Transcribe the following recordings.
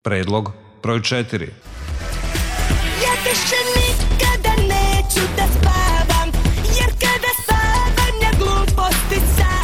Predlog broj 4. Ja više nikada neću da spavam, jer kada sanjam gluposti sanjam.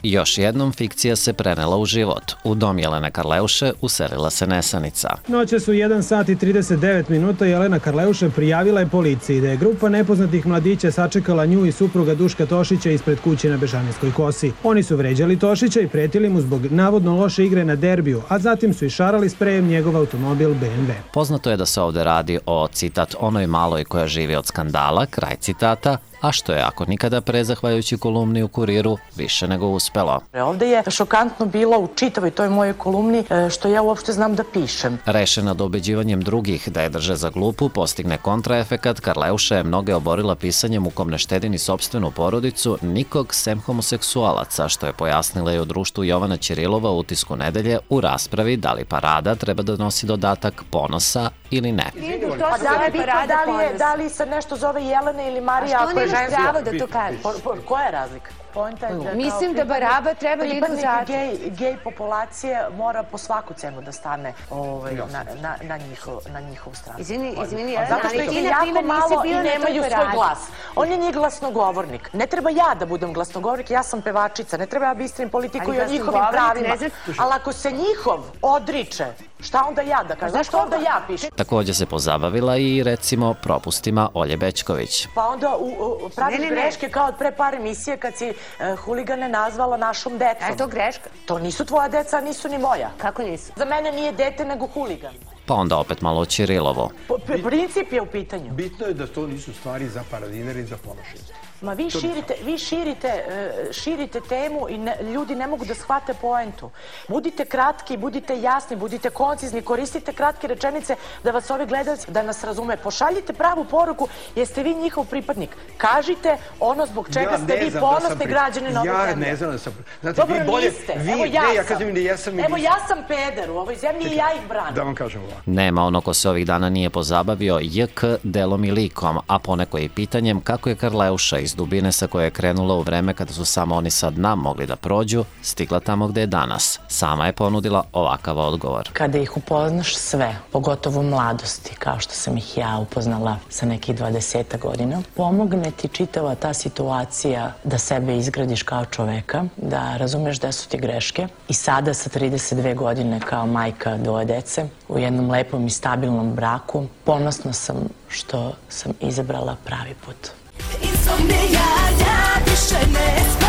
Još jednom fikcija se prenela u život. U dom Jelene Karleuše uselila se nesanica. Noćas u 1 sat i 39 minuta Jelena Karleuše prijavila je policiji da je grupa nepoznatih mladića sačekala nju i supruga Duška Tošića ispred kuće na Bežanijskoj kosi. Oni su vređali Tošića i pretili mu zbog navodno loše igre na derbiju, a zatim su išarali sprejem njegov automobil BMW. Poznato je da se ovde radi o, citat, onoj maloj koja živi od skandala, kraj citata, a što je, ako nikada pre, zahvaljujući kolumni u Kuriru, više nego uspelo. Ovde je šokantno bilo u čitavoj toj mojoj kolumni što ja uopšte znam da pišem. Rešena da ubeđivanjem drugih da je drže za glupu postigne kontraefekat, Karleuša je mnoge oborila pisanjem u kom ne štedi ni sopstvenu porodicu, nikog sem homoseksualaca, što je pojasnila i u društvu Jovana Ćirilova u Utisku nedelje u raspravi da li parada treba da nosi dodatak ponosa ili ne. Da li se nešto zove Jelena ili Marija? A što nemaš pravo da to kažeš? Koja je razlika? Mislim da baraba treba da idu zatim. Pripadnik gej populacije mora po svaku cenu da stane na njihovu stranu. Izvini, zato što ih je jako malo i nemaju svoj glas. On je njih glasnogovornik. Ne treba ja da budem glasnogovornik, ja sam pevačica. Ne treba ja bistrim politiku i o njihovim pravima. Ali ako se njihov odriče, šta onda ja da kažem? Zašto onda ja pišem? Takođe se pozabavila i, recimo, propustima Olje Bećković. Pa onda praviš greške kao od pre par emisije kad si huligane nazvala našom decom. A je to greška? To nisu tvoja deca, nisu ni moja. Kako nisu? Za mene nije dete, nego huligan. Pa onda opet malo Princip je u pitanju. Bitno je da to nisu stvari za paradinare i za ponošenje. Ma vi širite temu i ljudi ne mogu da shvate poentu. Budite kratki, budite jasni, budite koncizni, koristite kratke rečenice da vas ovi gledalci, da nas razume. Pošaljite pravu poruku, jeste vi njihov pripadnik. Kažite ono zbog čega ste vi ponosni građani na ovoj zemlji. Ja ne znam da sam... Dobro, niste. Evo ja sam. Evo ja sam peder u ovoj zemlji i ja ih branim. Da vam kažem ovako. Nema ono ko se ovih dana nije pozabavio JK delom i likom, a poneko i pitanjem kako je Karleuša iz dubine sa koje je krenula u vreme kada su samo oni sa dna mogli da prođu, stigla tamo gde je danas. Sama je ponudila ovakav odgovor. Kada ih upoznaš sve, pogotovo u mladosti, kao što sam ih ja upoznala sa nekih 20 godina, pomogne ti čitava ta situacija da sebe izgradiš kao čoveka, da razumeš gde su ti greške. I sada sa 32 godine kao majka 2 dece, u jednom lepom i stabilnom braku, ponosna sam što sam izabrala pravi put. Insomnija, ja više ne spavam.